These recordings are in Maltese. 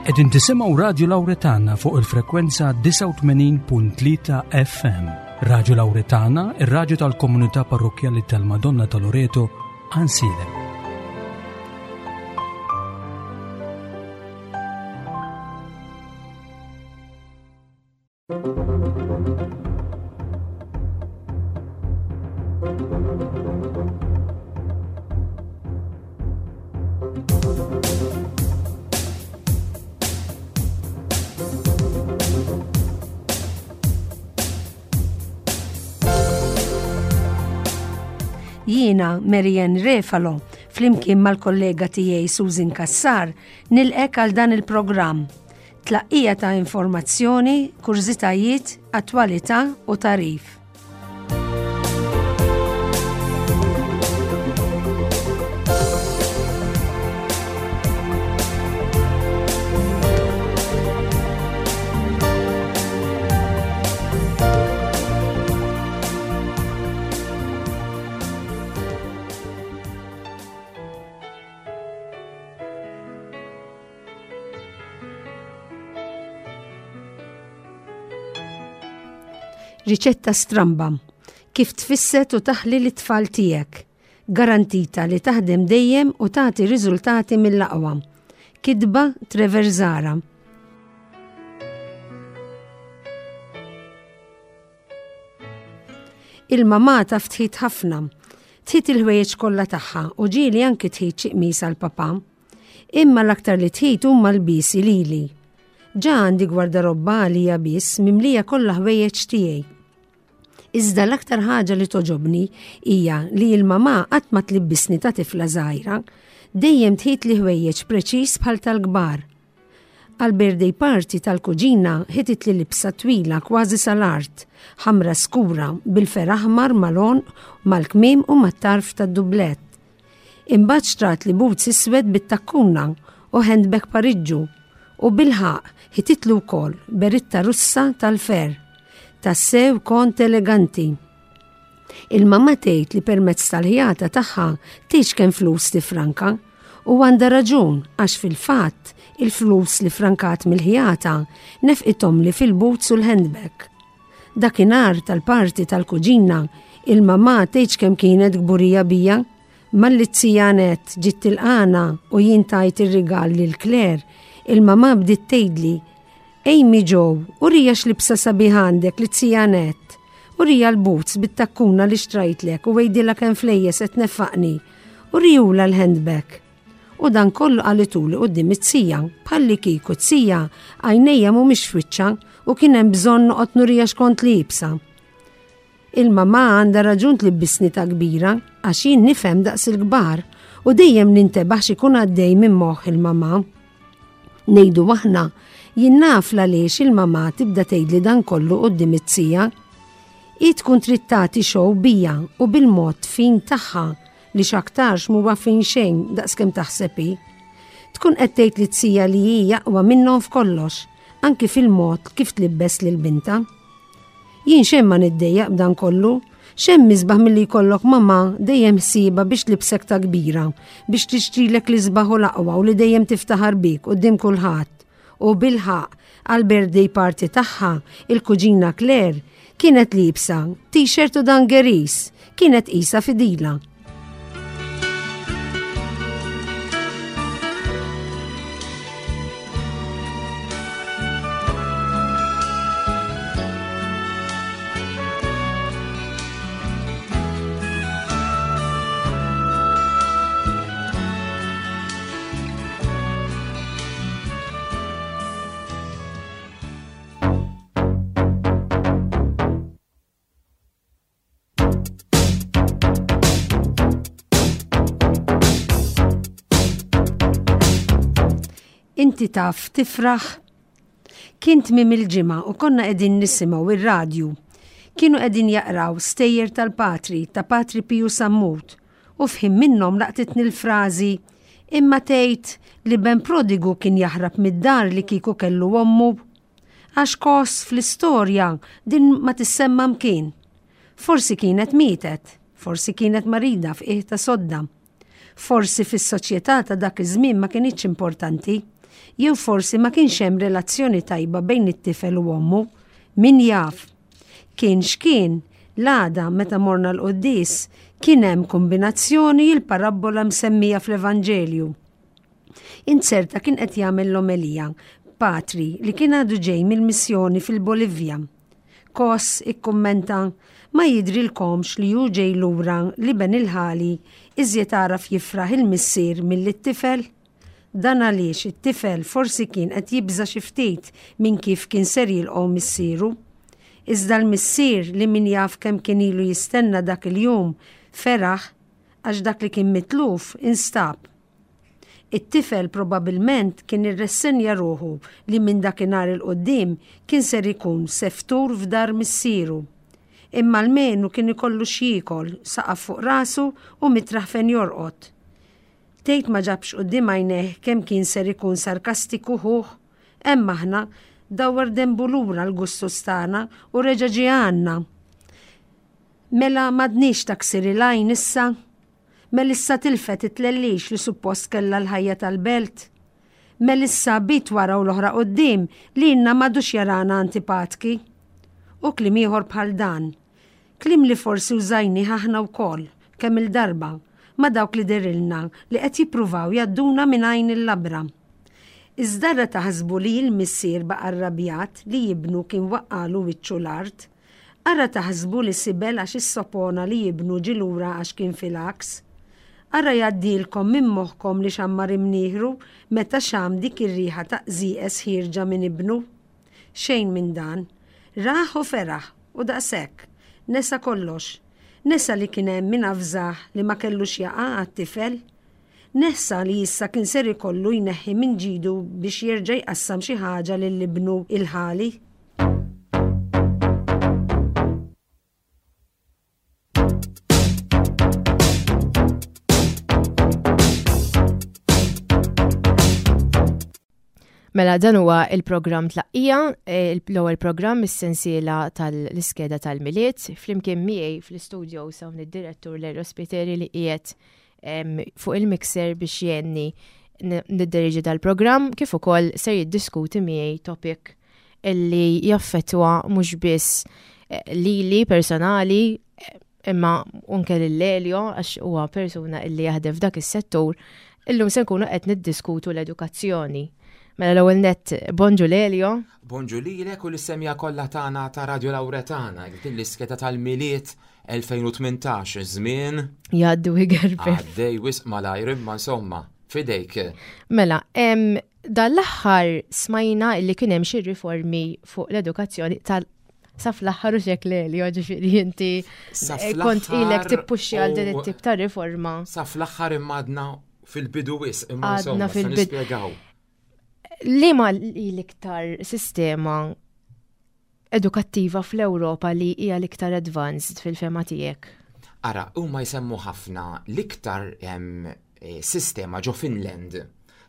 Qegħdin tisimgħu Radju Lawretana fuq il-frekwenza 89.3 FM. Radju Lawretana, ir-radju tal-komunità parrokkjali tal-Madonna ta' Loreto, Ansilem. Jiena Marianne Refalo, flimkien mal-kollega tiegħi Susan Cassar, nilqek għal dan il-programm. Tlaqqija ta' informazzjoni, kurżitajiet, attwalità u tagħrif. Riċetta stramba. Kif tfisset u taħli lit-tfal tiegħek. Garantita li taħdem dejjem u tagħti riżultati mill-aqwa. Kitba Trevor Zara. Il-mamà taf tħit ħafna. Tħit il-ħwejjeġ kollha tagħha u ġieli anki tħit xi qmis għal papà. Imma l-aktar li tħit huma l-bisi lili. Ġa għandi gwardarobba għalija biss mimlija kollha ħwejjeġ tiegħi. Iżda l-aktar ħaġa li toġobni hija li l-mamà qatt ma tlibbisni ta' tifla żgħira, dejjem tħit li ħwejjeġ preċiż bħal tal-kbar. Għall-birthday party tal-kuġina ħititli libsa twila kważi sal-art, ħamra skura, bil-fer aħmar mal-għonq, mal-kmiem u mat-tarf tad-dublett. Imbagħad xtratli boots iswed bit-takkuna u handbag pariġġu. U bilħaqq, ħititlu wkoll beritta Russa tal-fer. Tassew kont eleganti. Il-mamma tgħid li permezz tal-ħjata tagħha tgħix kemm flus tifranka u għandha raġun għax fil-fatt il-flus li frankat mill-ħjata nefqithomli fil-boots u l-handbag. Dakinhar tal-party tal-kuġina, il-mamma tgħidx kemm kienet kburija bija. Malli z-zija Annette ġiet tilqagħna u jien tajt ir-rigal lil Claire, il-mamma bdiet tgħidli Amy Jo, urija x'libsa sabiħa għandek lit-zija Annette. Urija l-boots bit-takkuna li xtrajtlek u għidilha kemm flejjes qed tneffaqni. Urijula l-handbag. U dan kollu qalituli quddiem it-zija, bħallikieku t-zija għajnejja mhumiex f'wiċċha u kien hemm bżonn noqgħod nuriha x'kont liebsa. Il-mamà għandha raġun tlibbisni ta' kbira għax jien nifhem daqs il-kbar u dejjem nintebaħ x'ikun għaddej minn moħħ il-mamà. Ngħidu aħna, jien naf l-għaliex il-mamà tibda tgħidli dan kollu quddiem it-tija. Hi tkun trid tagħti show bija u bil-mod fin tagħha li x'aktarx m'huwa fin xejn daqskemm taħseb hi. Tkun qed tgħid lit-tija li hi aqwa minnhom f'kollox, anki fil-mod kif tlibbes lil bintha. Jien xejn ma niddejjaq b'dan kollu, xejn isbaħ milli jkollok mamà dejjem ħsiebha biex tlibsek ta' kbira, biex tixtrilek l-isbaħ u l-aqwa u li dejjem tiftaħar bik quddiem kulħadd. U bilħaqq, għall-birthday party tagħha, il-kuġina Claire kienet liebsa t-shirt u dungarees, kienet qisha fidila. Inti taf tifraħ? Kien tmiem il-ġimgħa u konna qegħdin nisimgħu ir-radju. Kienu qegħdin jaqraw stejjer tal-patri ta' Patri Piju Sammut u f'ħin minnhom laqtitni l-frażi imma tgħid li ben prodigu kien jaħrab mid-dar li kieku kellu ommu? Għax kos fl-istorja din ma tissemma mkien. Forsi kienet mietet, forsi kienet marida f'qiegħ ta' sodda. Forsi fis-soċjetà ta' dak iż-żmien ma kinitx importanti. Jew forsi ma kienx hemm relazzjoni tajba bejn it-tifel u ommu. Min jaf? Kien x'kien, l-għada meta morna l-quddies, kien hemm kombinazzjoni il-parabbola msemmija fl-Evanġelju. Inzerta kien qed jagħmel l-omelija patri li kien għadu ġej mill-missjoni fil-Bolivja. Kos ikkummenta, Ma jidhrilkomx li hu ġej lura l-iben il-ħali iżjed għaraf jifraħ il-missier milli t-tifel? Dan għaliex it-tifel forsi kien qed jibża' xi ftit minn kif kien ser jilqgħu missieru. Iżda l-missier li min jaf kemm kien ilu jistenna dak il-jum feraħ għax dak li kien mitluf instab. It-tifel probabilment kien irressenja ruħu li minn dakinhar 'il quddiem kien ser ikun seftur f'dar missieru. Imma almenu kien ikollu x'jiekol, saqaf fuq rasu u mitraħ fejn jorqod. Tgħid ma ġabx quddiem għajnejh kemm kien ser ikun sarkastiku ħuh? Hemm aħna, dawwar denbu lura l-gustus tagħna u reġa' ġie għandna. Mela m'għadniex ta' ksir il-għajn issa? Melissa tilfet it-tlellix li suppost kellha l-ħajja tal-belt. Melissa bit wara u l-oħra quddiem lilna m'għadux jarana antipatki. U kliem ieħor bħal dan. Kliem li forsi użajnih aħna wkoll, kemm-il darba, ma' dawk li dehrilna li qed jippruvaw jgħadduna minn għajn il-labra. Iżda ara taħsbu li l-missier baqa' rrabjat li ibnu kien waqqagħlu wiċċu l-art? Ara taħsbu li sibel għax issopona li ibnu ġie lura għax kien fil-għaks? Ara jgħaddilkom minn moħħkom li xammar imnieħru meta xamm dik ir-riħa ta' qżieqeż ħierġa minn ibnu? Xejn minn dan. Rah u feraħ, u daqshekk. Nesa kollox. Nesa li kien hemm min avżah li ma kellux jaqa' għat-tifel. Nesa li issa kien ser ikollu jneħħi minn ġidu biex jerġa' jqassam xi ħaġa lil ibnu il-ħali. Mela dan huwa il-programm tlaqqija, eh, l-ewwel programm is-sensiela tal-iskeda tal-Milied, flimkien miegħi fl-istudio hawn id-direttur Lero Spiteri li qiegħed fuq il-mixer biex jgħinni nidderieġi dal-programm kif ukoll ser jiddiskuti miegħi topic illi jaffettwa mhux biss eh, lili personali eh, imma unke lil Elio għax huwa persuna illi jaħdem f'dak is-settur illum se nkunu qed niddiskutu l-edukazzjoni. Mela l-ewwel nett bonġu Lelio. Bonġu lilek u l-semja kollha tagħna ta' Radio Lauretana, din l-iskeda tal-Milied 2018, żmien. Jgħaddu igerbe. Għaddej wisq malajr imma insomma, fidejk. Mela, dal-aħħar smajna li kien hemm xi riformi fuq l-edukazzjoni tal sa fl-aħħar u xek le li ġifieri inti eh, kont ilek tippuxxi għal din it-tip ta' riforma. Sa fl-aħħar imma għadna fil-bidu wisq imma insomma fil-bidu. Liema l-iktar sistema edukattiva fl-Ewropa li hija l-iktar advanced fil-fehma tiegħek? Ara, huma jsemmu ħafna l-iktar eh, sistema ġo Finland.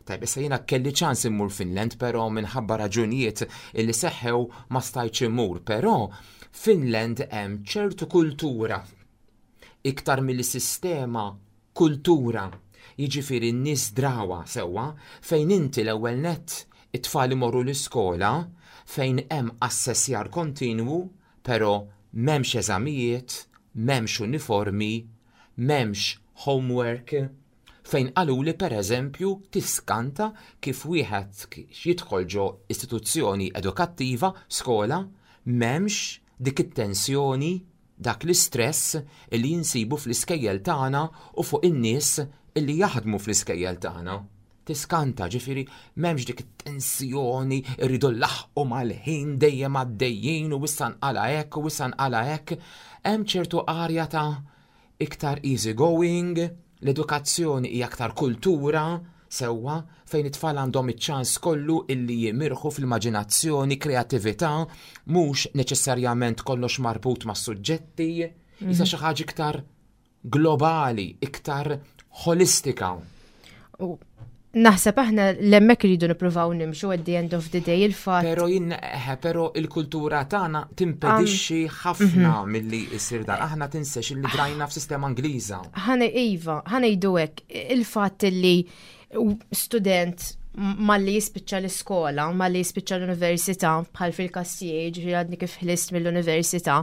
Tajb, issa jiena kelli ċans immur Finland, però minħabba raġunijiet li seħħew ma stajtx immur, però Finland hemm ċertu kultura iktar milli sistema kultura, jiġifieri n-nies drawha sewwa, fejn inti l-ewwel nett it-tfal imorru l-iskola fejn hemm assessjar kontinwu però m'hemmx eżamijiet, m'hemmx uniformi, m'hemmx homework, fejn qaluli pereżempju tiskanta kif wieħed jidħol ġo istituzzjoni edukattiva, skola, m'hemmx dik it-tensjoni Dak l-istress li insibu fl-iskejjel tagħna u fuq in-nies li jaħdmu fl-iskejjel tagħna. Tiskanta, ġifieri m'hemmx dik it-tensjoni, irridu nlaħħqu mal-ħin dejjem għaddejjin u issa nqala' hekk u issa nqala' hekk. Hemm ċertu arja ta' iktar easy going, l-edukazzjoni hija aktar kultura, sewwa, fejn it-tfal għandhom iċ-ċans kollu illi jimirħu fl-immaġinazzjoni, kreattività, mhux neċessarjament kollox marbut mas-suġġetti, isa xi ħaġa iktar globali, iktar ħolistika. Naħseb aħna l-emmek rridu nippruvaw nimxu at the end of the day il-fatt. Pero jien eh, pero il-kultura tagħna timpedixxi mhm. ħafna milli jsir dan. Aħna tinsex illi drajna f'sistema Ingliża. Ħana iva, ħana jgħidu hekk, il-fatt li student malli jispiċċa l-iskola, malli jispiċċa l-università, bħal fil-każ tiegħi, ġifieri għadni kif ħlist mill-università,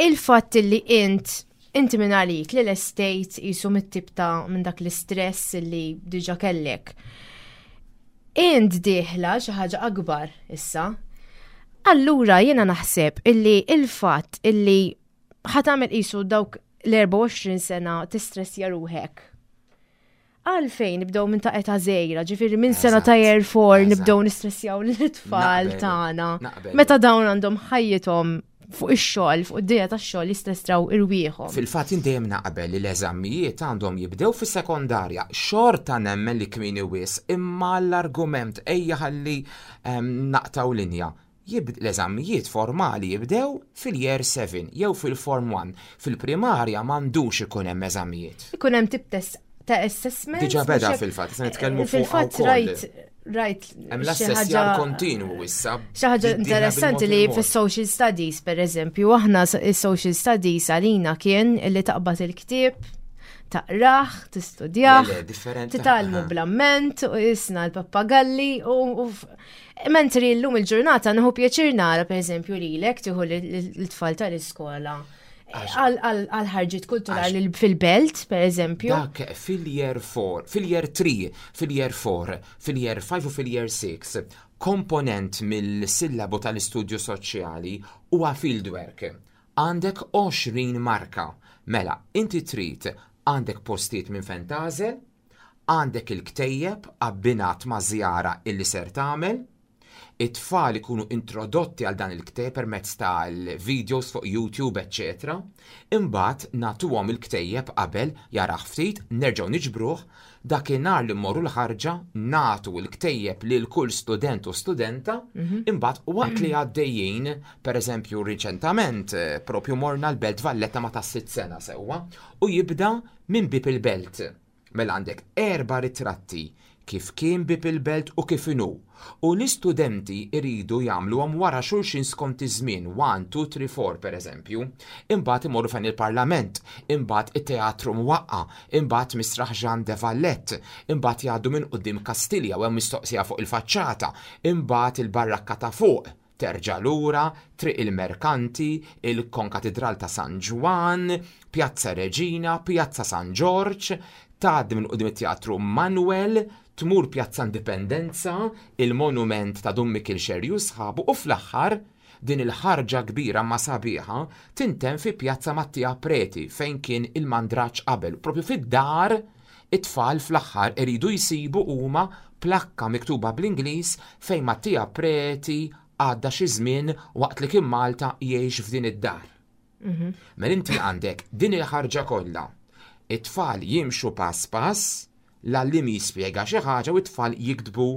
il-fatt li int inti minn għalik li l-estate jisu mit-tip ta' minn dak l-istress li diġa kellek. Int dieħla xi ħaġa akbar issa. Allura jiena naħseb illi il-fatt illi ħa tagħmel qisu dawk l-24 sena tistressja ruħek. Għalfejn nibdew minn ta' età żgħira, ġifieri minn sena ta' year 4 nibdew nistressjaw l-tfal tagħna. Meta dawn għandhom ħajjithom fuq ix-xogħol, fuq id-dinja tax-xogħol jistressjaw irwieħhom. Fil-fatt jien dejjem naqbel li l-eżamijiet għandhom jibdew fis-sekondarja. Xorta nemmen li kmieni wisq, imma l-argument ejja ħalli ehm, naqtaw linja. L-eżamijiet formali jibdew fil-Year 7 jew fil-Form 1. Fil-primarja m'għandux ikun hemm eżamijiet. Ikun hemm tip test ta' assessment. Diġà beda fil-fatt, se nitkellmu fuq Fil-fatt rajt rajt Hemm l-assessjar kontinwu issa. Xi ħaġa interessanti li fis-social studies pereżempju, aħna is-social studies għalina kien li taqbad il-ktieb, taqrah, tistudjah, titgħallmu bl-amment, u isna l-pappagalli u Mentri llum il-ġurnata nieħu pjaċir nara pereżempju lilek tieħu l-tfal tal-iskola għal ħarġiet kulturali fil-belt, per eżempju. Dak fil-year 4, fil-year 3, fil-year 4, fil-year 5 u fil-year 6, komponent mill-sillabu tal-istudju soċjali huwa fieldwork. Għandek 20 marka. Mela, inti trid għandek postijiet minn fejn tagħżel, Għandek il-ktejjeb abbinat maż-żjara illi ser tagħmel. It-tfal ikunu introdotti għal dan il-ktejjeb permezz tal-videos fuq YouTube eċċetera. Imbagħad nagħtuhom il-ktejjeb qabel jarah ftit, nerġgħu niġbruh, dakinhar li mmorru l-ħarġa nagħtu l-ktejjeb lil kull student u studenta, imbagħad waqt li għaddejjin, pereżempju riċentament propju morna l-Belt Valletta ma' tas-sitt sena sewwa, u jibda minn bieb il-belt. Mela għandek erba' ritratti, kif kien bieb il-belt u kif inhu, u l-istudenti jridu jagħmluhom wara xulxin skont iż-żmien, one, two, three, four, pereżempju. Imbagħad imorru fejn il-Parlament, imbagħad it-teatru mwaqqa', imbagħad Misraħ Jean de Valette, imbagħad jgħaddu minn quddiem Kastilja u hemm mistoqsija fuq il-faċċata, imbagħad il-Barrakka ta' fuq. Terġa' lura, Triq il-Merkanti, il-Konkatidral ta' San Ġwann, Pjazza Reġina, Pjazza San Ġorġ, tgħaddi minn quddiem it-Teatru Manoel, tmur Pjazza Indipendenza, il-Monument ta' Dun Mikiel Xerri u sħabu u fl-aħħar, din il-ħarġa kbira ma sabiħa tintemm fi Pjazza Mattia Preti fejn kien il-Mandraġġ qabel, propju fid-dar it-tfal fl-aħħar iridu jsibu huma plakka miktuba bl-Ingliż fejn Mattia Preti għadda xi żmien waqt li kien Malta jgħix f'din id-dar. Mhm. Mela inti għandek din il-ħarġa kollha. It-tfal jimxu pass pass, l-għalliem jispjega xi ħaġa u t-tfal jiktbu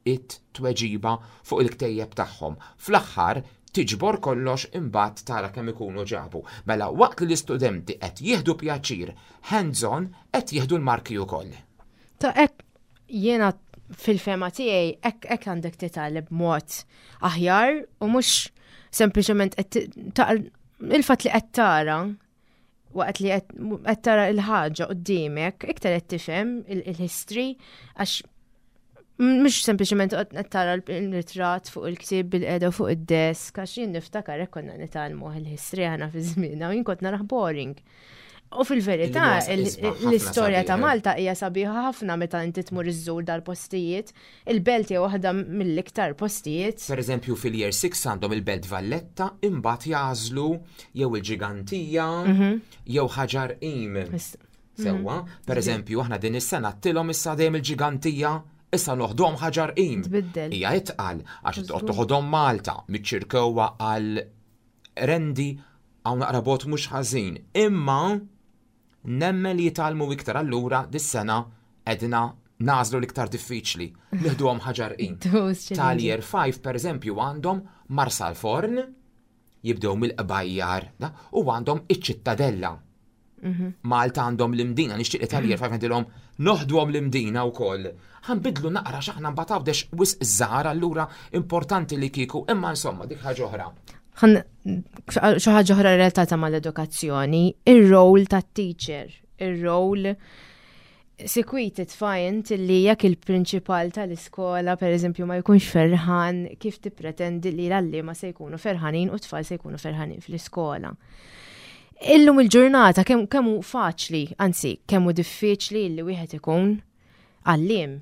it-tweġiba fuq il-ktejjeb tagħhom. Fl-aħħar tiġbor kollox imbagħad tara kemm ikunu ġabu. Mela waqt li l-istudenti qed jieħdu pjaċir hands-on qed jieħdu l-marki wkoll. Ta' hekk jiena fil-fema tiegħi hekk hekk għandek titgħallem b'mod aħjar u mhux sempliċement qed il-fatt li qed tara waqt li qed tara l-ħaġa qudiemek iktar qed tifhem il-history għax mhux sempliċement qed tara l-ritratt fuq il-ktieb bil-qeda fuq id-desk għax jien niftakar hekk konna nitgħallmu il-history aħna fi żmienna u jien kont narah boring. U fil-verità, l-istorja ta' Malta hija sabiħa ħafna meta inti tmur iżżur dal-postijiet. Il-belt hija waħda mill-iktar postijiet. Per eżempju, fil-Year 6 għandhom il-Belt Valletta, imbagħad jagħżlu jew il-Ġigantija mhm. jew Ħaġar Qim. Mhm. Sewwa, per eżempju, aħna din is-sena tilhom issa dejjem il-Ġigantija issa noħdom ħaġar qim. Hija itqal għax toħodhom Malta miċ-ċirkewwa għal Rendi hawn naqra bot mhux ħażin, imma nemmen li jitgħallmu iktar allura dis-sena qegħdina nagħżlu l-iktar diffiċli, nieħduhom ħaġar qim. Tal-year 5 pereżempju għandhom Marsalforn, jibdew mill-qbajjar u għandhom iċ-Ċittadella. Mhm. Malta għandhom l-imdina, nixtieq li tal-year 5 ngħidilhom noħduhom l-imdina wkoll. Ħanbidlu naqra x'aħna mbagħad għawdex wisq żgħar allura importanti li kieku, imma insomma dik ħaġa oħra. Xi ħaġa oħra relatata mal-edukazzjoni, ir-role tat-teacher, ir-role. Sikwit it-tfa int li jekk il-prinċipal tal-iskola pereżempju ma jkunx ferħan kif tippretendi li l-għalliema se jkunu ferħanin u t-tfal se jkunu ferħanin fl-iskola. Illum il-ġurnata kemm kemm hu faċli, anzi kemm hu diffiċli li wieħed ikun għalliem.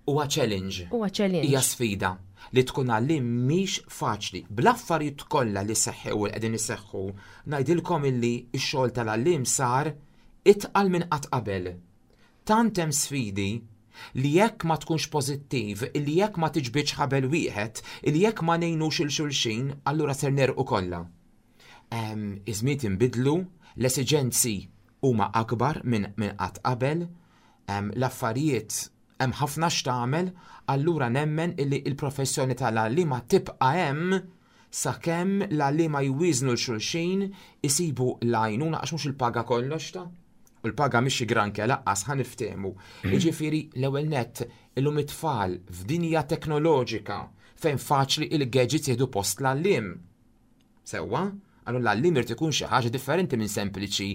Huwa challenge. Huwa challenge. Hija sfida li tkun għalliem mhix faċli. Bl-affarijiet kollha li seħħew u qegħdin iseħħu, ngħidilkom illi x-xogħol tal-għalliem sar itqal minn qatt qabel. Tant hemm sfidi li jekk ma tkunx pożittiv, illi jekk ma tiġbidx ħabel wieħed, illi jekk ma ngħinux 'il xulxin, allura ser negħrqu kollha. Iż-żminijiet inbidlu, l-esiġenzi huma akbar minn qatt qabel, l-affarijiet hemm ħafna x'tagħmel, allura nemmen illi l-professjoni tal-għalliema tibqa' hemm sakemm l-għalliema jwieżnu 'l xulxin, isibu l-għajnuna għax mhux il-paga kollox ta'. U l-paga mhix xi granke laqqas ħa niftehmu. Jiġifieri l-ewwel nett illum it-tfal f'dinja teknoloġika fejn faċli il-gadgets jieħdu post l-għalliem. Sewwa? Allura l-għalliem irid ikun xi ħaġa differenti minn sempliċi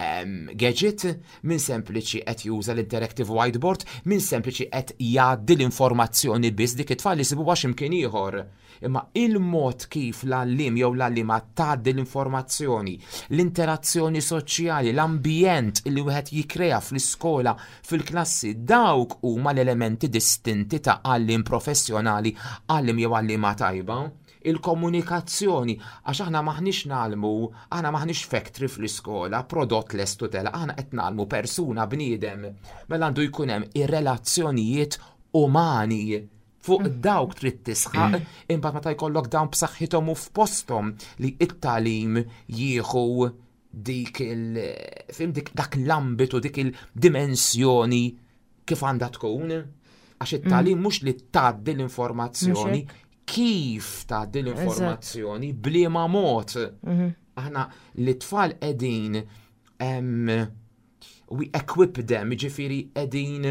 ehm, gadget, minn sempliċi qed juża l-interactive whiteboard, minn sempliċi qed jgħaddi l-informazzjoni biss dik it-tfal jisibuha x'imkien ieħor. Imma il-mod kif l-għalliem jew l-għalliema tgħaddi l-informazzjoni, l-interazzjoni soċjali, l-ambjent li wieħed jikkrea fl-iskola, fil-klassi, dawk huma l-elementi distinti ta' għalliem professjonali, għalliem jew għalliema tajba. Il-komunikazzjoni, għax aħna m'aħniex ngħallmu, aħna m'aħniex factory fl-iskola, prodott lest u tela', aħna qed ngħallmu persuna, bniedem. Mela għandu jkun hemm ir-relazzjonijiet umani fuq mm. dawk trid tisħaq, imbagħad meta jkollok dawn b'saħħithom u f'posthom li it-tagħlim jieħu dik il fim dik dak l-ambitu, dik il-dimensjoni kif għandha tkun. Għax it-tagħlim mm. mhux li tgħaddi l-informazzjoni, kif tgħaddi l-informazzjoni, bliema mod. Mhm. Aħna li tfal qegħdin we equip them, ġifieri qegħdin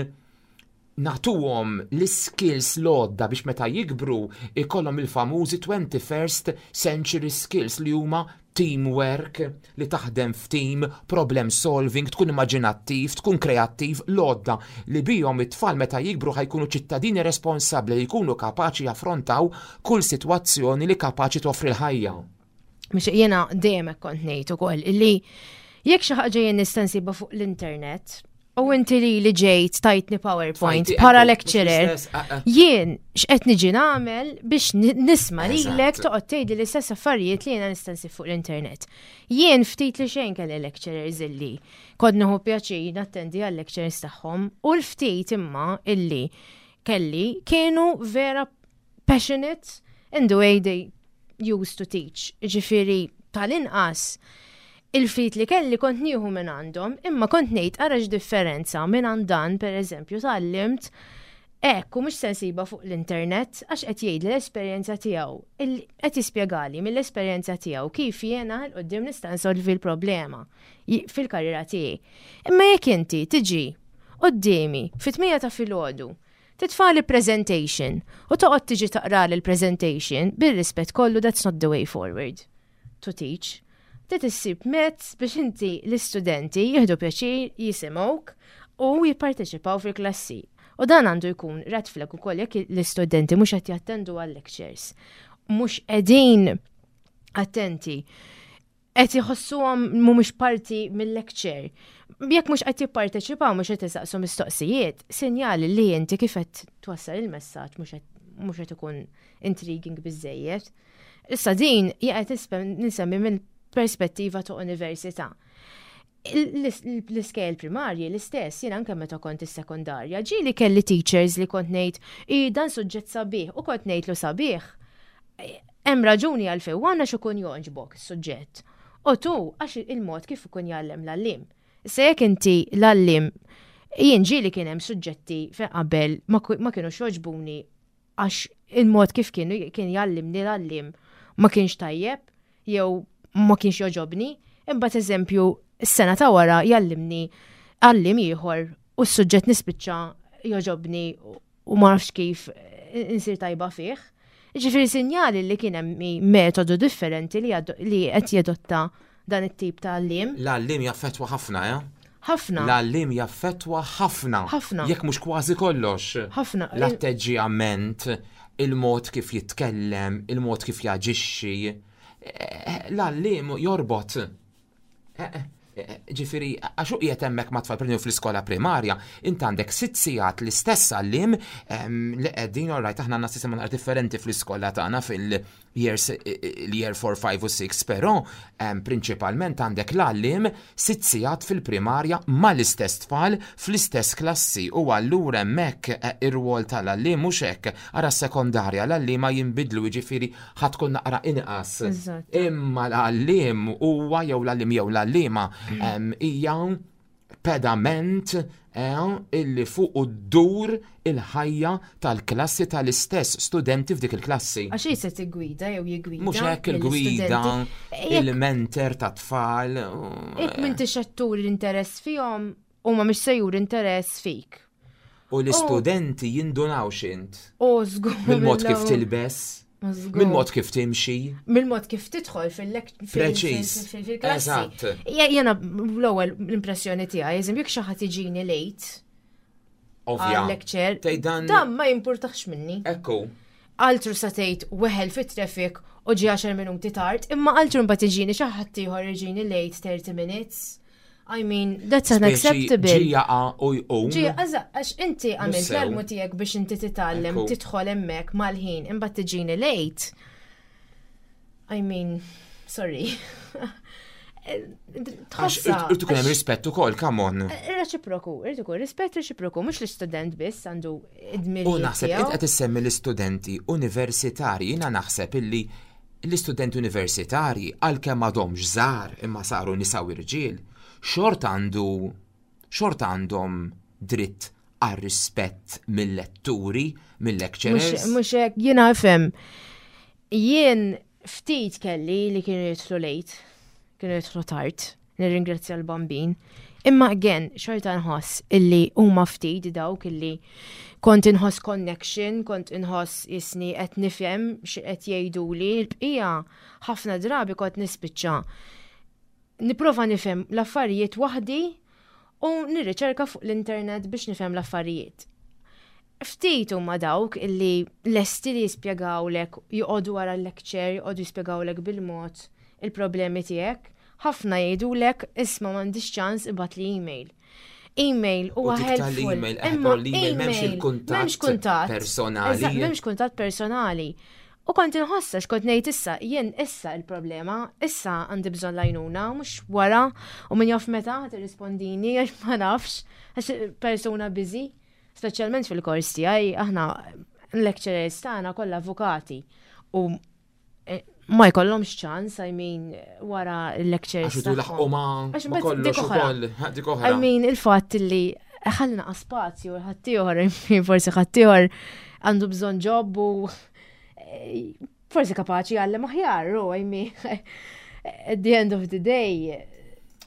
nagħtuhom l-iskills l-għodda biex meta jikbru ikollhom il-famużi 21st century skills li huma teamwork, li taħdem f'team, problem solving, tkun immaġinattiv, tkun kreattiv, l-għodda li bihom it-tfal meta jikbru ħajkunu ċittadini responsabbli li jkunu kapaċi jaffrontaw kull sitwazzjoni li kapaċi toffri l-ħajja. Mhux jiena dejjem hekk kont ngħid ukoll illi jekk xi ħaġa jien nista' nsibha fuq l-internet u inti li li ġejt tajtni PowerPoint bħala lecturer, ah, ah. jien x'qed niġi nagħmel biex nisma' lilek toqgħod tgħidli l-istess affarijiet li jiena nista' nsib fuq l-internet. Jien ftit li xejn kelli lecturers illi kont nieħu pjaċir nattendi għal lectures tagħhom u l-ftit imma illi kelli kienu vera passionate in the way they used to teach. Ġifiri, tal-inqas, il-ftit li kelli kont nieħu minn għandhom, imma kont ngħid ara x'differenza minn għand dan pereżempju tgħallimt hekk u mhux se nsibha fuq l-internet għax qed jgħidli l-esperjenza tiegħu, qed jispjegali mill-esperjenza tiegħu kif jiena 'l quddiem nista' nsolvi l-problema fil-karriera tiegħi. Imma jekk inti tiġi quddiemi fit-8 ta' filgħodu Titfagħli presentation u toqgħod tiġi taqrali l-presentation, bir-rispett kollu that's not the way forward to teach. Trid issib mezz biex inti l-istudenti jieħdu pjaċir jisimgħuk u jipparteċipaw fil-klassi. U dan għandu jkun red flag ukoll jekk l-istudenti mhux qed jattendu għal-lectures, mhux qegħdin attenti qed jħossuhom mhumiex parti mill-lecture. Jekk mhux qed jipparteċipaw mhux qed isaqsu mistoqsijiet, sinjali li inti kif qed twassal il-messaġġ mhux qed ikun intriguing biżejjed. Issa din qed nisemmi minn perspettiva ta' università. L-iskejjel primarji l-istess, jien anke meta kont is-sekondarja, ġieli kelli teachers li kont ngħid, i dan suġġett sabiħ, u kont ngħidlu sabiħ. Hemm raġuni għalfejn u għandna x'ikun jogħġbok is-suġġett. U tu għax il-mod kif ikun jgħallem l-għalliem. Issa jekk inti l-għalliem jien ġieli kien hemm suġġetti fejn qabel ma kinux jogħġbuni għax il-mod kif kien kien jgħallimni l-għalliem ma kienx tajjeb jew ma kienx jogħġobni, imbagħad eżempju s-sena ta' wara jgħallimni għalliem ieħor u s-suġġett nispiċċa jogħġobni u ma nafx kif insir tajba fih. Ġifieri sinjali li kien hemm metodu differenti li qed jadotta dan it-tip ta' għalliem. L-għalliem jaffettwa ħafna, eh? Ħafna. L-għalliem jaffettwa ħafna. Ħafna. Jekk mhux kważi kollox. Ħafna. L-atteġġjament, il-mod kif jitkellem, il-mod kif jaġixxi. Eh, l-għalliem jorbot. Eh, eh, ġifieri, għax u qiegħed hemmhekk ma' tfal pereżempju fl-iskola primarja, int għandek sitt sigħat l-istess għalliem li qegħdin orajt aħna għandna sistema naqra differenti fl-iskola tagħna fil-years l-year 4, 5 u 6, però prinċipalment għandek l-għalliem sitt sigħat fil-primarja mal-istess tfal fl-istess klassi u allura hemmhekk eh, ir-rwol tal-għalliem mhux hekk. Ara s-sekondarja l-għalliema jinbidlu jiġifieri ħa tkun naqra inqas. Imma l-għalliem huwa jew l-għalliem jew l-għalliema hija pedament eh, illi fuq ddur il-ħajja tal-klassi tal-istess studenti f'dik il-klassi. Għax se tiggwida jew jiggwida. Mhux hekk il-gwida, il-mentor ta' tfal. Jekk m'intix qed turi l-interess fihom, huma mhux se juri interess fik. U l-istudenti jindunaw x'int. U żgur. Mill-mod kif tilbes. Mill-mod kif timxi. Mill-mod kif tidħol fil-klassi. Eżatt. Jena l-ewwel l-impressjoni tiegħi, eżempju, jekk xi ħadd iġini late. Ovvja. Lecture. Dan ma jimpurtax minni. Ekku. Altru sa tgħid weħel fit-traffic u ġie 10 minuti tard, imma altru mbagħad iġini xi ħadd ieħor iġini late 30 minutes. I mean, that's unacceptable. Ġi jaqa u jqum. Ġi, għax inti għamilt l-almu tiegħek biex inti titgħallem, tidħol hemmhekk mal-ħin, imbagħad tiġini late. I mean, sorry. Tħossa. Irtu kun hemm rispett ukoll, come on. Eh, reċiproku, irtu kun rispett reċiproku, mhux l-istudent biss għandu id-dmir. U naħseb int qed issemmi l-istudenti universitarji, jiena naħseb illi L-istudenti universitarji, għalkemm għadhomx żgħar imma saru nisa u irġiel, xorta għandu xorta għandhom dritt għar-rispett mil-letturi, mil-lecturers. Mhux hekk, jiena ifhem. Jien ftit kelli li kienu jidħlu late, kienu jidħlu tard. Nirringrazzja l-Bambin. Imma again, xorta nħoss illi huma ftit dawk illi kont inħoss connection, kont inħoss jisni qed nifhem xi qed jgħiduli, l-bqija ħafna drabi kont nispiċċa. Nipprova nifhem l-affarijiet waħdi u nirriċerka fuq l-internet biex nifhem l-affarijiet. Ftit huma dawk illi lesti li jispjegawlek, joqogħdu wara l-lecture, joqogħdu jispjegawlek bil-mod il-problemi tiegħek. Ħafna jgħidulek isma' m'għandix ċans ibgħatli email. Email huwa helpful. Email, eh, imma l-email m'hemmx il-kuntatt. M'hemmx kuntatt personali. M'hemmx kuntatt personali. U kont inħossa x'kont ngħid issa, jien issa il-problema, issa għandi bżonn l-għajnuna, mhux wara u min jaf meta tirrispondini għax ma nafx, għax persuna busy. Speċjalment fil-kors tiegħi aħna l-lecturers tagħna kollha avukati u eh, ma jkollhomx ċans, I mean, wara l-lectures. Għax laħqu ma kollox ukoll, dik oħra. I mean, il-fatt li ħallna spazju ħaddieħor, forsi ħaddieħor għandu bżonn ġob u eh, Forsi kapaċi jgħallem aħjar, u I mean, at the end of the day.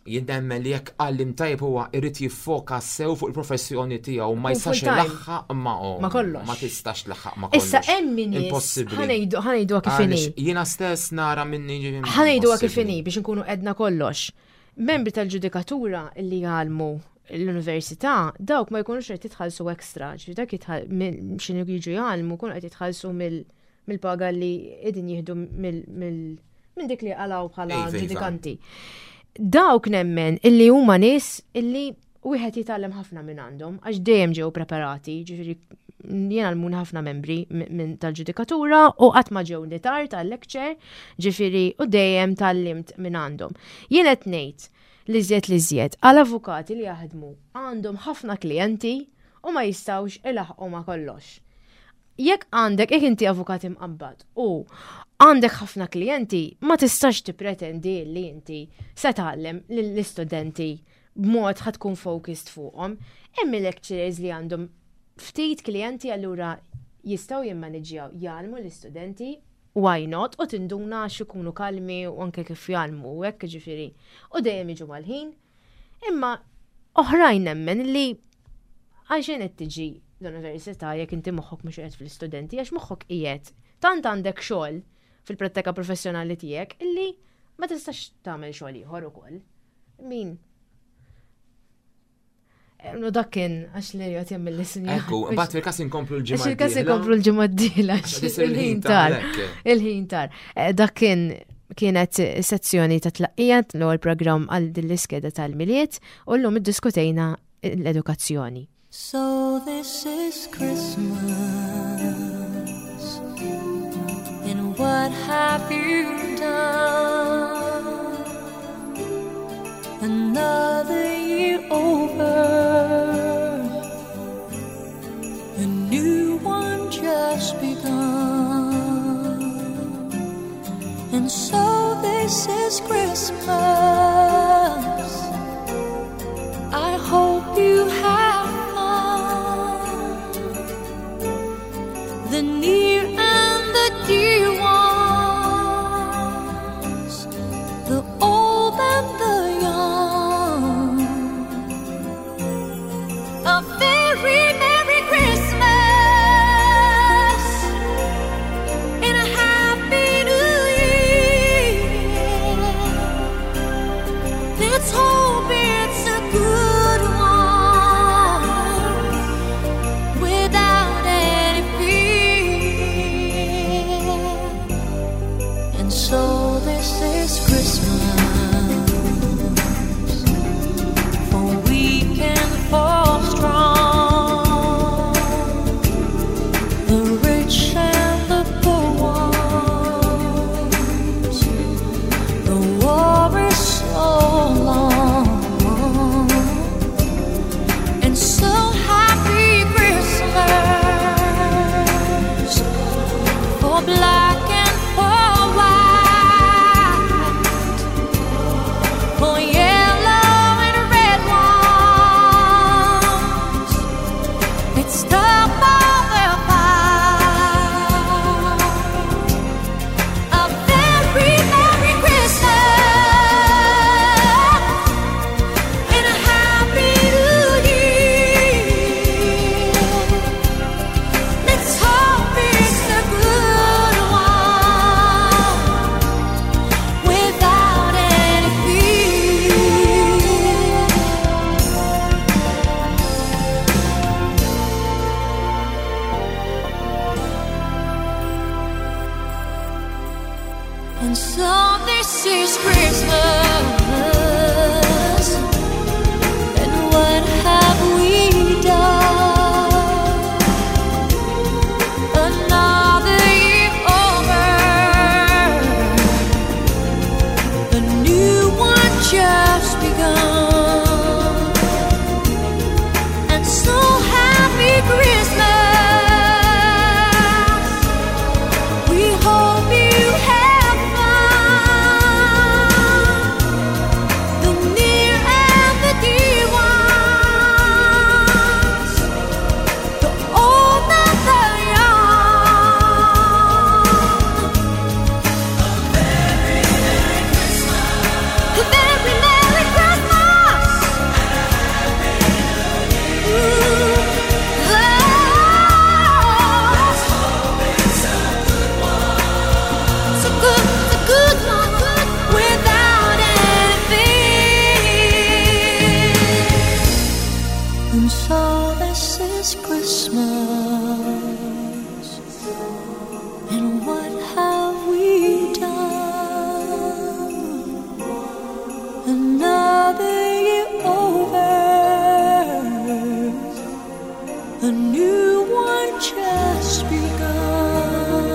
Jien nemmen li jekk għallim tajjeb huwa irid jiffoka sew fuq il-professjoni tiegħu ma jistax ilaħħaq ma' Ma kollox. Ma tistax tlaħħaq ma' kollox. Issa hemm min Impossibbli. Ħanejdu ħanejduha kif inhi. Jiena stess nara minni Ħanejduha kif inhi biex inkunu qedna kollox. Membri tal-ġudikatura li jgħallmu l-università, dawk ma jkunux qed jitħallsu extra, ġifieri dak x'inhu jiġu jgħallmu jkunu qed jitħallsu mill mill-paga li qegħdin jieħdu minn dik li għalaw bħala iva, iva. ġudikanti. Dawk nemmen illi huma nies illi wieħed jitgħallem ħafna minn għandhom għax dejjem ġew preparati, ġifieri jien għalmun ħafna membri minn tal-ġudikatura u qatt ma ġew li tard tal-lecture, ġifieri u dejjem tallimt minn għandhom. Jien qed ngħid li żjed li żjed għal avukati li jaħdmu għandhom ħafna klijenti u ma jistgħux ilaħqu ma kollox. Jekk għandek, jekk inti avukat imqabbad u għandek ħafna klijenti, ma tistax tippretendi li inti se tgħallem lill-istudenti b'mod ħa tkun focused fuqhom. Hemm il-lecturers li għandhom ftit klijenti allura jistgħu jimmaniġġjaw jgħallmu l-istudenti why not u tinduna għax ikunu kalmi u anke kif jgħallmu u hekk ġifieri u dejjem jiġu mal-ħin. Imma oħrajn nemmen li għalxejn qed tiġi l-università jekk inti moħħok mhux qiegħed fl-istudenti għax moħħok qiegħed tant għandek xogħol fil-prattika professjonali tiegħek illi ma tistax tagħmel xogħol ieħor ukoll. Min? No dak kien għax li jgħat jagħmel li sinja. Ekku, mbagħad fil-każ inkomplu l-ġimgħa. Għax il-każ inkomplu l-ġimgħa d-dieħla. Il-ħin tar. Il-ħin tar. Eh, dak kien kienet sezzjoni ta' tlaqqija l-ewwel programm għal din l-iskeda tal-Milied u llum iddiskutejna l-edukazzjoni. So this is Christmas And what have you done? Another year over A new one just begun And so this is Christmas I hope you have fun The near and the dear ones The old and the young A very Merry Christmas And a Happy New Year Let's hope it's a good one Without any fear And so this is Christmas For we can fall strong The rich and the poor ones The war is so long And so happy Christmas For black and for white For yellow and red ones It's stop all the fight A very Merry Christmas And a Happy New Year Let's hope it's a good one Without any fear And so this is Christmas And what have we done? Another year over A new one just begun And so happy Christmas We hope you have fun The near and the dear ones The old and the young A very Merry Christmas Ooh, oh. It's a good, it's a good one, without any fear. And so this is Christmas, and what have we done? Another year over, a new one just begun.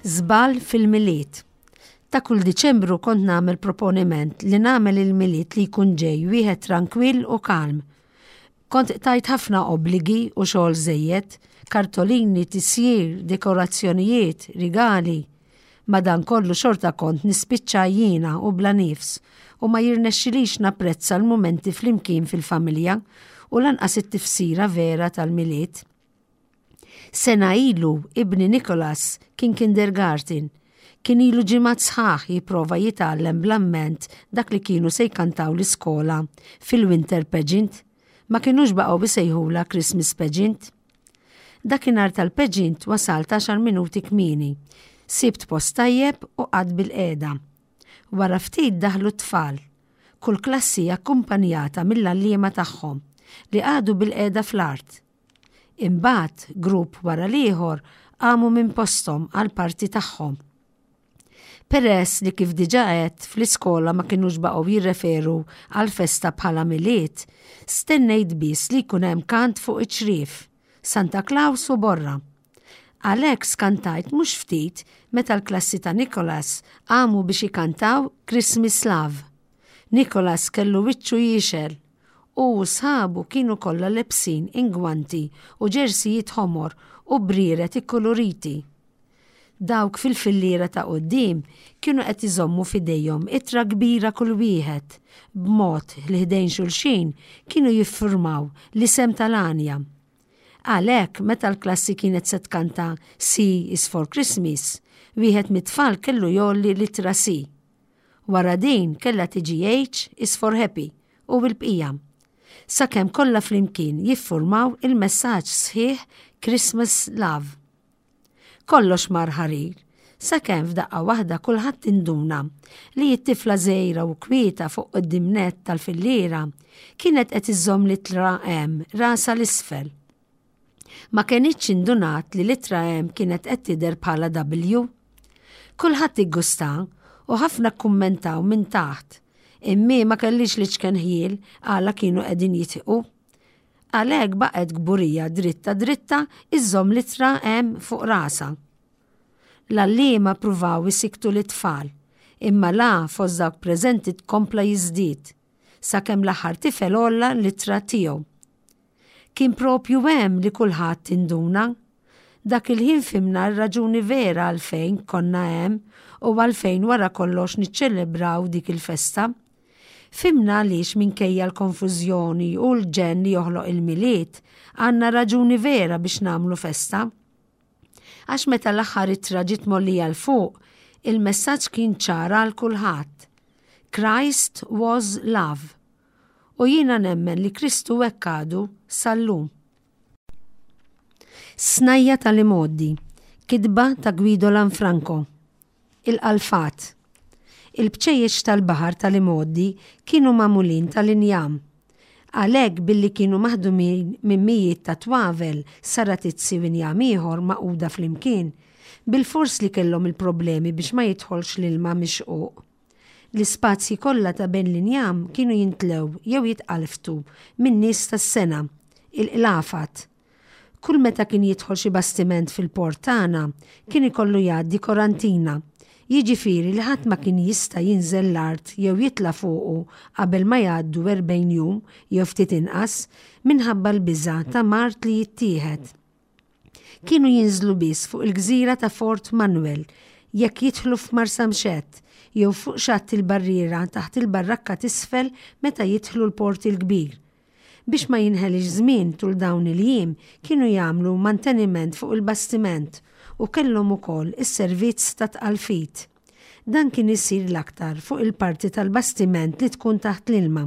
Żball fil-Milied. Ta' kull Diċembru kont nagħmel proponiment li nagħmel il-Milied li jkun ġej wieħed trankwill u kalm. Kont qtajt ħafna obbligi u xogħol żejjed, kartolini, tisjir, dekorazzjonijiet, rigali. Madankollu xorta kont nispiċċa għajjiena u bla nifs u ma jirnexxilix napprezza l-mumenti flimkien fil-familja u lanqas it-tifsira vera tal-Milied. Sena ilu, ibni Nicholas kien kindergarten. Kien ilu ġimgħat sħaħ jipprova jitgħallem bl-amment dak li kienu se jkantaw l-iskola fil-Winter Pageant. Ma kinux baqgħu isejħulha Christmas Pageant. Dakinhar tal-pageant wasalt għaxar minuti kmieni. Sibt post tajjeb u qgħadt bilqiegħda. Wara ftit daħlu t-tfal, kull klassi akkumpanjata mill-għalliema tagħhom, li qagħdu bilqiegħda fl-art. Imbagħad, grupp wara l-ieħor qamu minn posthom għall-parti tagħhom. Peress li kif diġà għedt fl-iskola ma kinux baqgħu jirreferu għall-festa bħala Milied, stennejt biss li jkun hemm kant fuq iċ-ċriev, Santa Klaws u borra. Għalhekk skantajt mhux ftit meta l-klassi ta' Nicholas qamu biex ikantaw Christmas Love. Nicholas kellu wiċċu jixgħel. Hu u sħabu kienu kollha lebsin ingwanti u ġersijiet ħomor u brieret ikkuluriti. Dawk fil-filliera ta' quddiem kienu qed iżommu f'idejhom ittra kbira kull wieħed, b'mod li ħdejn xulxin kienu jiffurmaw l-isem tal-għanja. Għalhekk, meta l-klassi kienet se tkanta C is for Christmas, wieħed mit-tfal kellu jgħolli l-ittra C. Wara din kellha tiġi H is for happy u l-bqija. Sakemm kollha flimkien jiffurmaw il-messaġġ sħiħ Christmas Love. Kollox mar ħarir, sakemm f'daqqa waħda kulħadd induna li t-tifla żgħira u kwieta fuq quddiem nett tal-filliera kienet qed iżżomm l-ittra M rasha 'l isfel. Ma kenitx indunat li l-ittra M kienet qed tidher bħala W. Kulħadd iggusta u ħafna kkummentaw minn taħt. Imma hi ma kellhiex l-iċken ħjiel għala kienu qegħdin jidħqu. Għalhekk baqgħet kburija dritta dritta iżżomm l-ittra hemm fuq rasha. L-għalliema ppruvaw isikktu lit-tfal, imma l-għa fost dawk preżenti tkompla jiżdied, sakemm l-aħħar tifel għolla l-ittra tiegħu. Kien proprju hemm li kulħadd induna. Dak il-ħin fhimna r-raġuni vera għalfejn konna hemm u għalfejn wara kollox niċċelebraw dik il-festa. Fhimna għaliex minkejja l-konfużjoni u l-ġenn li joħloq il-Milied, għandna raġuni vera biex nagħmlu festa. Għax meta l-aħħar ittra ġiet mgħollija 'l fuq, il-messaġġ kien ċar għal kulħadd. Christ was love. U jiena nemmen li Kristu hekk għadu sal-lum. Snajja tal-imgħoddi, kitba ta' Guido Lanfranco. Il-qalfat. Il-bċejjeċ tal-baħar tal-imgħoddi kienu magħmulin tal-injam. Għalhekk billi kienu maħdumin minn mijiet ta' twavel, saratizzi u injam ieħor magħquda flimkien, bilfors li kellhom il-problemi biex ma jidħolx l-ilma mix-xquq. L-ispazji kollha ta' bejn l-injam kienu jintlew jew jitqalftu min-nies tas-sengħa, il-qlafat. Kull meta kien jidħol xi bastiment fil-port tagħna, kien ikollu jgħaddi korantina, jiġifieri li ħadd ma kien jista' jinżel l-art jew jitla' fuqu qabel ma jgħaddu 40 jum jew ftit inqas minħabba l-biża' ta' mard li jittieħed. Kienu jinżlu biss fuq il-gżira ta' Fort Manuel jekk jidħlu f'Marsamxett jew fuq xatt il-barriera taħt il-barrakka t'isfel meta jidħlu l-Port il-Kbir. Biex ma jinħelix żmien tul dawn il-jiem kienu jagħmlu manteniment fuq il-bastiment u kellhom ukoll is-servizz ta' tqalfit. Dan kien isir l-aktar fuq il-parti tal-bastiment li tkun taħt l-ilma.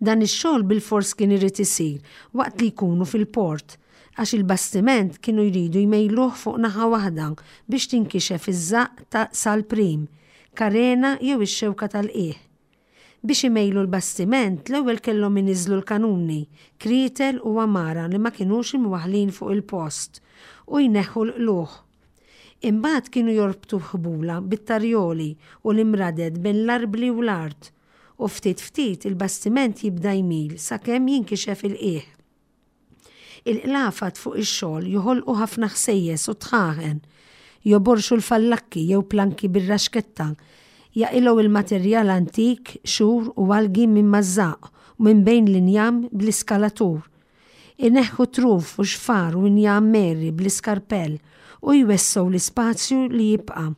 Dan ix-xogħol bilfors kien irid isir waqt li jkunu fil-port għax il-bastiment kienu jridu jmejluh fuq naħa waħda biex tinkixef iż-żaqq ta' sal-prim, karena jew ix-xewka tal-qiegħ. Biex imejlu l-bastiment, l-ewwel kellhom iniżżlu l-kanuni, krietel u għamara li ma kinux imwaħħlin fuq il-post, u jneħħu l-qlugħ. Imbagħad kienu jorbtu ħbula bit-tarjoli u l-imraded bejn l-arbli u l-art, u ftit ftit il-bastiment jibda jmil sakemm jinkixef il-qiegħ. Il-qlafat fuq ix-xogħol joħolqu ħafna ħsejjes u dħaħen. Joborxu l-fallakki jew planki bir-raxketta. Jaqilgħu il-materjal antik, qxur u algi minn maż-żaqq u minn bejn l-injam bl-iskalatur. Ineħħu truf u xfar u injam mgħerri bl-iskarpell u jwessgħu l-ispazju li jibqa'.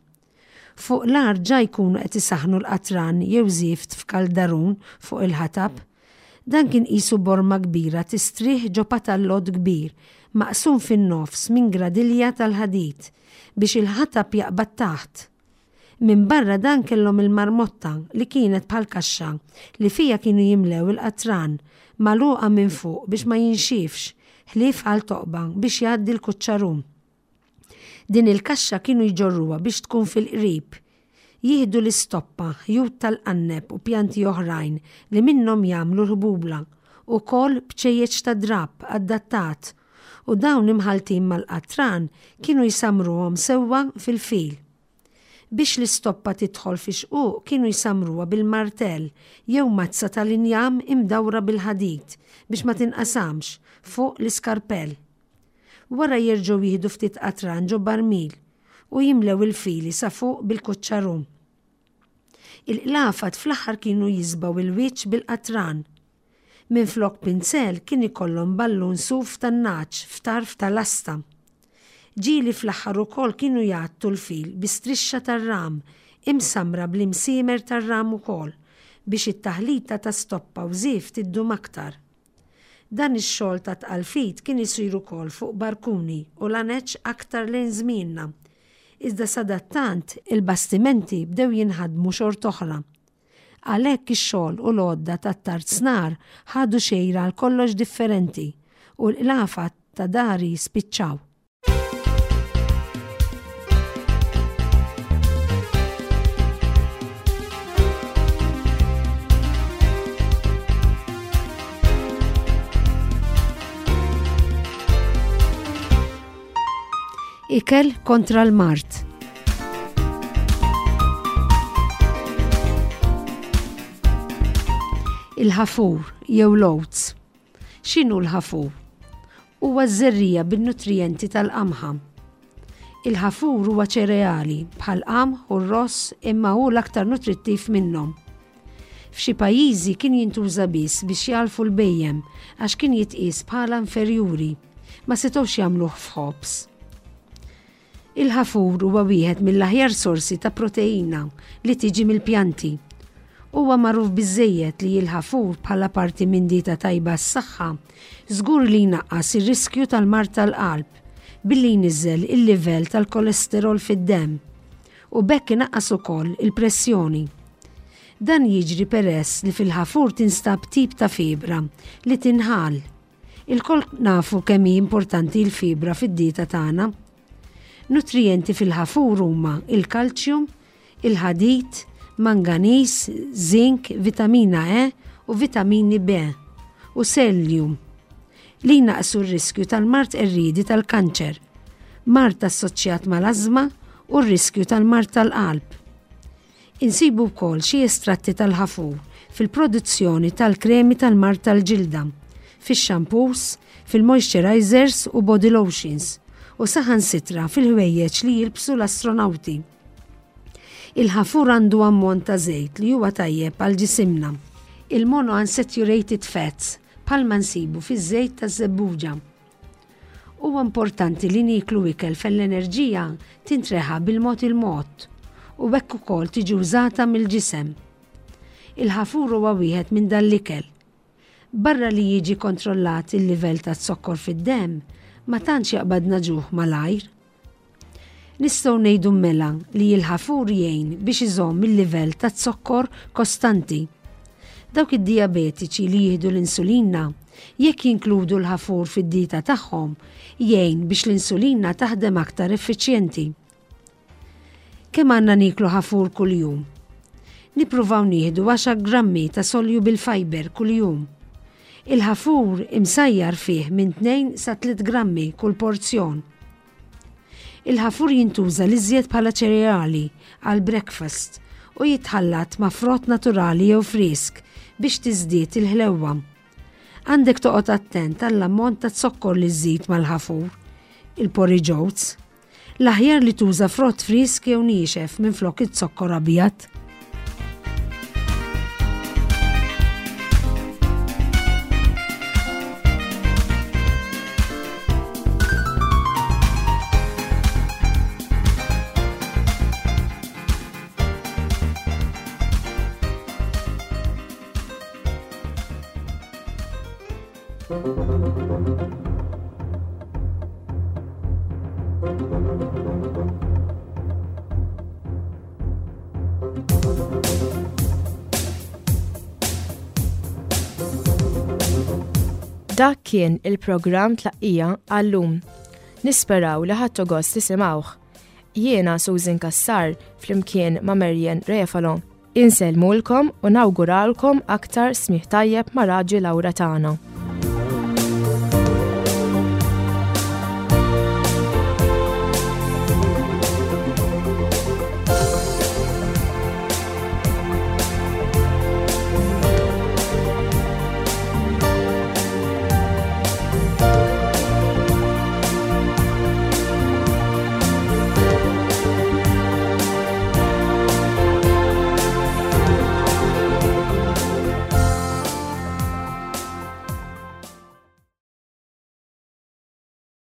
Fuq l-art ġa jkunu qed isaħħnu l-qatran jew żift f'kaldarun fuq il-ħatab. Dan kien qisu borma kbira tistrieħ ġo patallott kbir, maqsum fin-nofs minn gradilja tal-ħadid, biex il-ħatab jaqbad taħt. Minbarra dan kellhom il-marmotta li kienet bħal kaxxa li fiha kienu jimlew il-qatran, magħluqa minn fuq biex ma jinxifx, ħlief għal toqba biex jgħaddi l-kuċċarun. Din il-kaxxa kienu jġorruha biex tkun fil-qrib. Jieħdu l-istoppa, ħjut tal-qanneb u pjanti oħrajn li minnhom jagħmlu l-ħbubla, ukoll bċejjeċ ta' drapp adattat u dawn imħalltin mal-qatran kienu jsammruhom sewwa fil-fil. Biex l-istoppa tidħol fix-xquq kienu jsammruha bil-martell jew mazza tal-injam imdawra bil-ħadid biex ma tinqasamx fuq l-iskarpell. Wara jerġgħu jieħdu ftit qatran ġo barmil u jimlew il-fili sa fuq bil-kuċċarun. Il-qlafat fl-aħħar kienu jiżbgħu il-wiċċ bil-qatran. Minflok pinzell kien ikollhom ballun suf tan-nagħaġ f'tarf ta' lasta. Ġieli fl-aħħar ukoll kienu jgħattu l-fil bi strixxa tar-ram imsammra bl-imsiemer tar-ram ukoll biex it-taħlita ta' stoppa u żift iddum aktar. Dan ix-xogħol ta' tqalfit kien isir ukoll fuq barkuni u laneċ aktar lejn żmienna. Iżda sadattant il-bastimenti bdew jinħadmu xort'oħra. Għalhekk ix-xogħol u l-għodda tat-tarz nar ħadu xejra għal kollox differenti u l-qlafat ta' dari spiċċaw. Ikel kontra l-mard. Il-ħafur jew l-oats. X'inhu l-ħafur? Huwa ż-żerriegħa bin-nutrijenti tal-qamħa. Il-ħafur huwa ċereali bħall-qamħ u r-ross imma hu l-aktar nutrittiv minnhom. F'xi pajjiżi kien jintuża biss biex jagħlfu l-bhejjem għax kien jitqies bħala inferjuri, ma setgħux jagħmluh f'ħobż. Il-ħafur huwa wieħed mill-aħjar sorsi ta' proteina li tiġi mill-pjanti. Huwa magħruf biżżejjed li l-ħafur bħala parti minn dieta tajba għas-saħħa żgur li jnaqqas ir-riskju tal-mard tal-qalb billi jniżżel il-livell tal-kolesterol fid-demm u b'hekk inaqqas ukoll il-pressjoni. Dan jiġri peress li fil-ħafur tinstab tip ta' fibra li tinħall. Ilkoll nafu kemm hi importanti l-fibra fid-dieta tagħna. Nutrijenti fil-ħafur huma il-kalċjum, il-ħadid, manganiż, zinc, vitamina E u vitamini B u selenium li jnaqqsu r-riskju tal-mard qerriedi tal-kanċer, mard assoċjat mal-ażma u r-riskju tal-mard tal-qalb. Insibu wkoll xi estratti tal-ħafur fil-produzzjoni tal-kremi tal-mard tal-ġilda, fix-shampoos, fil-moisturizers u body lotions, u saħansitra fil-ħwejjeġ li jilbsu l-astronawti. Il-ħafur għandu ammont ta' żejt li huwa tajjeb għal ġisimna. Il-monounsaturated fats bħalma nsibu fiż-żejt taż-żebbuġa. Huwa importanti li nieklu ikel fejn l-enerġija tintreħa bil-mod il-mod u hekk ukoll tiġi użata mill-ġisem. Il-ħafur huwa wieħed minn dan l-ikel. Barra li jiġi kontrollat il-livell ta' zokkor fid-demm, ma tantx jaqbadna ġuħ malajr. Nistgħu ngħidu mela li l-ħafur jgħin biex iżomm il-livell ta' zokkor kostanti. Dawk id-dijabetiċi li jieħdu l-insulina, jekk jinkludu l-ħafur fid-dieta tagħhom, jgħin biex l-insulina taħdem aktar effiċjenti. Kemm għandna nieklu ħafur kuljum? Nippruvaw nieħdu 10 grammi ta' soluble fiber kuljum. Il-ħafur imsajjar fih minn 2 sa 3 grammi kull porzjon. Il-ħafur jintuża l-iżjed bħala ċereali għal breakfast u jitħallat ma' frott naturali jew frisk biex tiżdied il-ħlewwa. Għandek toqgħod attent għall-ammont ta' zokkor li żżid mal-ħafur, il-porridge oats. L-aħjar li tuża frott frisk jew niexef minflok iz-zokkor abjad. Dak kien il-programm tlaqqija għallum. Nisperaw li ħadtu gost tisimgħuh. Jiena Susan Cassar flimkien ma' Marian Refalo. Insellmulkom u nawguralkom aktar smigħ tajjeb ma' Raġi Laura tagħna.